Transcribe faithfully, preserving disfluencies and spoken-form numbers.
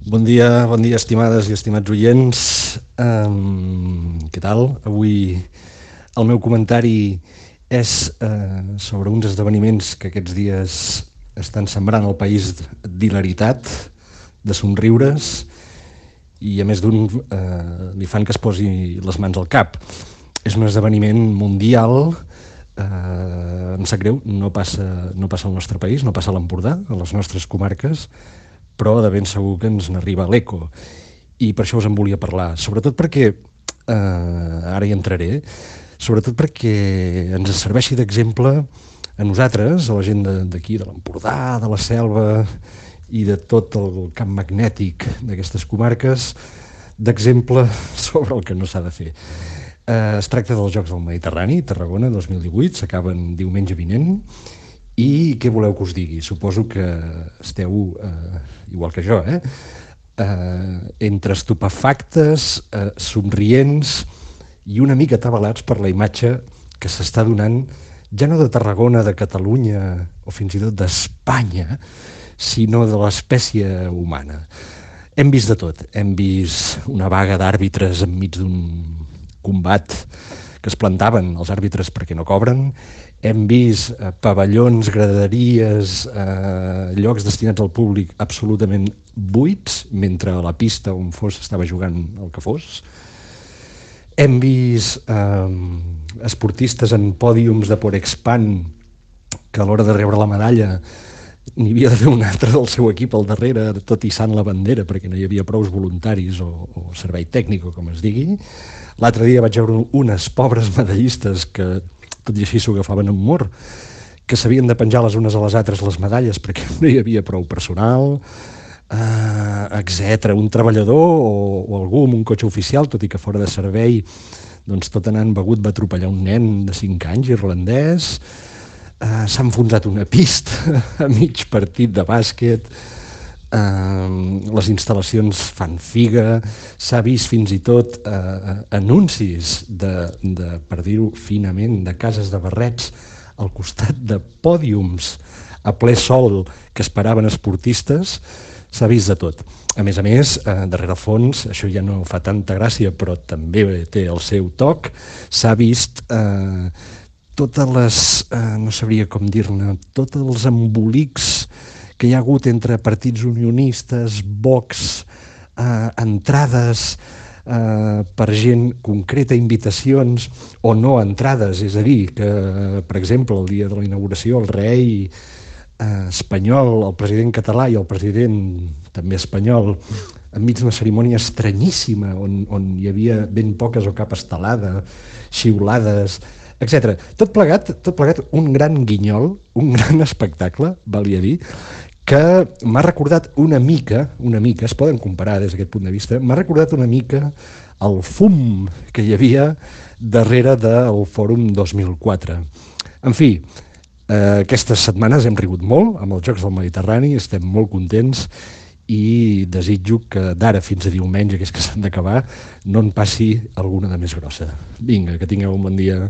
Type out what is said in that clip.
Bon dia, bon dia, estimades i estimats oients. Um, què tal? Avui el meu comentari és uh, sobre uns esdeveniments que aquests dies estan sembrant al país d'hilaritat, de somriures, i a més d'un uh, li fan que es posi les mans al cap. És un esdeveniment mundial, uh, em sap greu, no passa, no passa al nostre país, no passa a l'Empordà, a les nostres comarques, però de ben segur que ens n'arriba l'eco. I per això us en volia parlar, sobretot perquè, eh, ara hi entraré, sobretot perquè ens serveixi d'exemple a nosaltres, a la gent d'aquí, de l'Empordà, de la Selva i de tot el camp magnètic d'aquestes comarques, d'exemple sobre el que no s'ha de fer. Eh, es tracta dels Jocs del Mediterrani, Tarragona dos mil divuit, s'acaben diumenge vinent. I què voleu que us digui? Suposo que esteu, eh, igual que jo, eh? Eh, entre estupefactes, eh, somrients i una mica atabalats per la imatge que s'està donant, ja no de Tarragona, de Catalunya o fins i tot d'Espanya, sinó de l'espècie humana. Hem vist de tot. Hem vist una vaga d'àrbitres enmig d'un combat que es plantaven els àrbitres perquè no cobren. Hem vist eh, pavellons, graderies, eh, llocs destinats al públic absolutament buits, mentre a la pista on fos estava jugant el que fos. Hem vist eh, esportistes en pòdiums de Porexpan que a l'hora de rebre la medalla n'hi havia d'haver un altre del seu equip al darrere, tot hissant la bandera, perquè no hi havia prous voluntaris o, o servei tècnic, o com es digui. L'altre dia vaig veure unes pobres medallistes que, tot i així, s'ho agafaven amb humor, que s'havien de penjar les unes a les altres les medalles perquè no hi havia prou personal, eh, etcètera. Un treballador o, o algú amb un cotxe oficial, tot i que fora de servei, doncs tot anant begut va atropellar un nen de cinc anys, irlandès. Uh, s'ha enfonsat una pista a mig partit de bàsquet, uh, les instal·lacions fan figa, s'ha vist fins i tot uh, anuncis de, de, per dir-ho finament, de cases de barrets al costat de pòdiums a ple sol que esperaven esportistes. S'ha vist de tot. A més a més, uh, darrere fons, això ja no fa tanta gràcia, però també té el seu toc, s'ha vist uh, totes les, eh, no sabria com dir-ne, tots els embolics que hi ha hagut entre partits unionistes, Vox, eh, entrades eh, per gent concreta, invitacions o no entrades, és a dir, que, per exemple, el dia de la inauguració, el rei eh, espanyol, el president català i el president també espanyol, enmig d'una cerimònia estranyíssima, on, on hi havia ben poques o cap estelada, xiulades, etcètera. Tot plegat, tot plegat un gran guinyol, un gran espectacle, valia dir, que m'ha recordat una mica, una mica, es poden comparar des d'aquest punt de vista, m'ha recordat una mica el fum que hi havia darrere del Fòrum dos mil quatre. En fi, eh, aquestes setmanes hem rigut molt amb els Jocs del Mediterrani, estem molt contents i desitjo que d'ara fins a diumenge, que és que s'han d'acabar, no en passi alguna de més grossa. Vinga, que tingueu un bon dia.